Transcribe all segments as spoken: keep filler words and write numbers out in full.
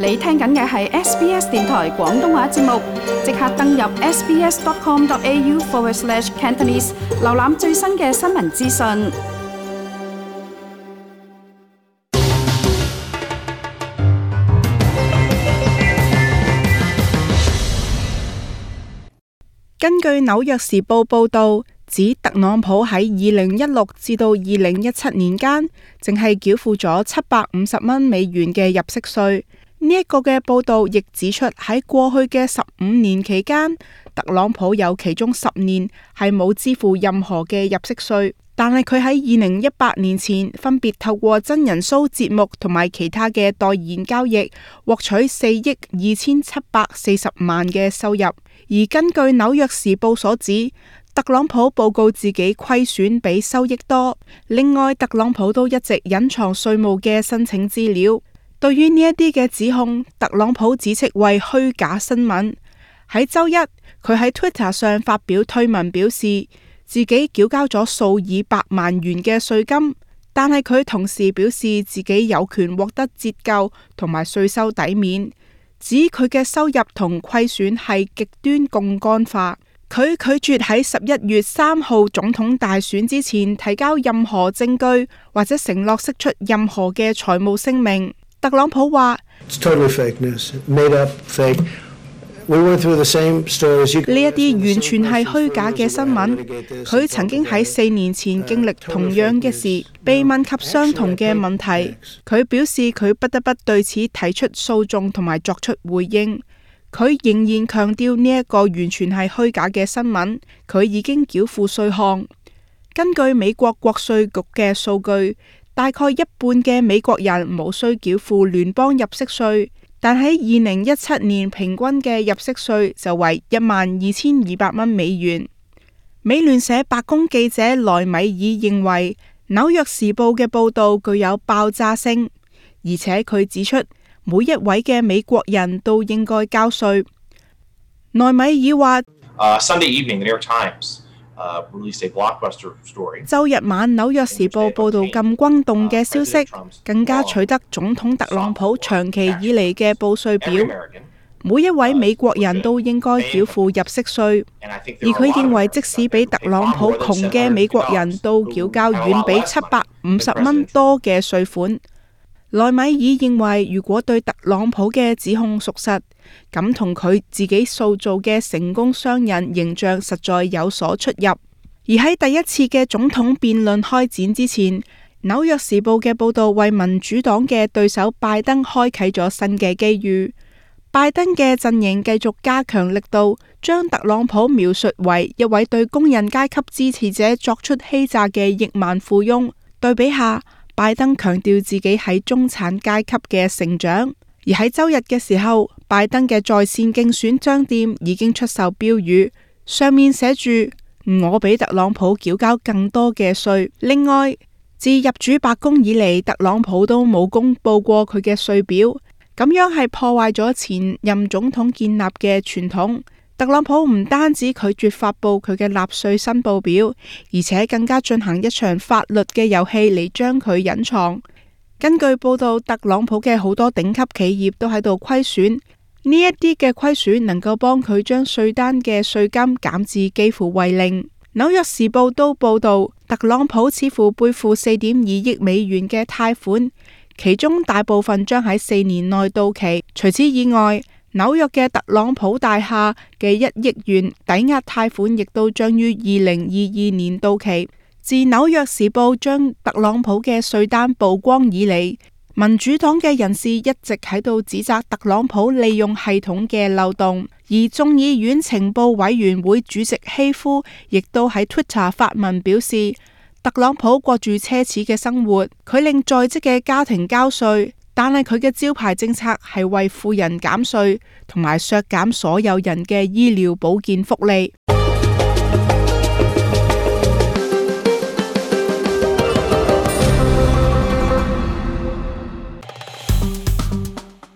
你聽緊嘅係 S B S 電台廣東話節目，即刻登入 sbs.com.au forward slash Cantonese， 瀏覽最新嘅新聞資訊。根據紐約時報報導，指特朗普喺二零一六至到二零一七年間，淨係繳付咗七百五十蚊美元嘅入息稅。呢一個嘅報導亦指出，喺過去嘅十五年期間，特朗普有其中十年係冇支付任何嘅入息稅，但係佢喺二零一八年前分別透過真人 show 節目同埋其他嘅代言交易，獲取四億二千七百四十萬嘅收入。而根據紐約時報所指，特朗普報告自己虧損比收益多。另外，特朗普都一直隱藏稅務嘅申請資料。對於呢一啲嘅指控，特朗普指斥為虛假新聞。喺周一，佢喺 Twitter 上發表推文，表示自己繳交咗數以百萬元嘅稅金，但係佢同時表示自己有權獲得折舊同埋稅收抵免，指佢嘅收入同虧損係極端槓桿化。佢拒絕喺十一月三號總統大選之前提交任何證據或者承諾釋出任何嘅財務聲明。特朗普話：呢一啲完全係虛假嘅新聞。佢曾經喺四年前經歷同樣嘅事，被問及相同嘅問題，佢表示佢不得不對此提出訴訟同埋作出回應。佢仍然強調呢一個完全係虛假嘅新聞。佢已經繳付稅項。根據美國國稅局嘅數據，大概一半嘅美國人無需繳付聯邦入息稅，但喺二零一七年平均嘅入息稅就為一萬二千二百蚊美元。美聯社白宮記者萊米爾認為，紐約時報嘅報導具有爆炸性，而且佢指出每一位嘅美國人都應該交稅。萊米爾話：uh, Sunday evening, the New York Times.Uh, released a blockbuster story. 周日晚紐約時報報道咁轟動嘅消息，更加取得總統特朗普長期以嚟嘅報稅表。每一位美國人都應該繳付入息稅，而佢認為即使比特朗普窮嘅美國人都繳交遠比七百五十蚊多嘅稅款。萊米爾認為，如果對特朗普嘅指控屬實，咁同佢自己塑造嘅成功商人形象實在有所出入。而喺第一次嘅總統辯論開展之前，紐約時報嘅報導為民主黨嘅對手拜登開啟咗新嘅機遇。拜登嘅陣營繼續加強力度，將特朗普描述為一位對工人階級支持者作出欺詐嘅億萬富翁。對比下，拜登強調自己喺中產階級嘅成長。而喺周日嘅時候，拜登嘅在線競選商店已經出售標語，上面寫住我比特朗普繳交更多嘅稅。另外，自入主白宮以嚟，特朗普都冇公布過佢嘅稅表，咁樣係破壞咗前任總統建立嘅傳統。特朗普唔單止拒絕發布佢嘅納稅申報表，而且更加進行一場法律嘅遊戲嚟將佢隱藏。根據報道，特朗普嘅好多頂級企業都喺度虧損，呢一啲嘅虧損能夠幫佢將稅單嘅稅金減至幾乎為零。紐約時報都報道，特朗普似乎背負四點二億美元嘅貸款，其中大部分將喺四年內到期。除此以外，紐約嘅特朗普大廈嘅一億元抵押貸款亦都將於二零二二年到期。自紐約時報將特朗普嘅稅單曝光以嚟，民主黨嘅人士一直喺度指責特朗普利用系統嘅漏洞，而眾議院情報委員會主席希夫亦都喺 Twitter 發文表示，特朗普過住奢侈嘅生活，佢令在職嘅家庭交稅，但係佢嘅招牌政策係為富人減稅，同埋削減所有人嘅醫療保健福利。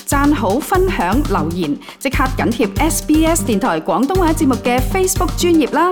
讚好、分享、留言，即刻緊貼 S B S 電台廣東話節目嘅 Facebook 專頁啦！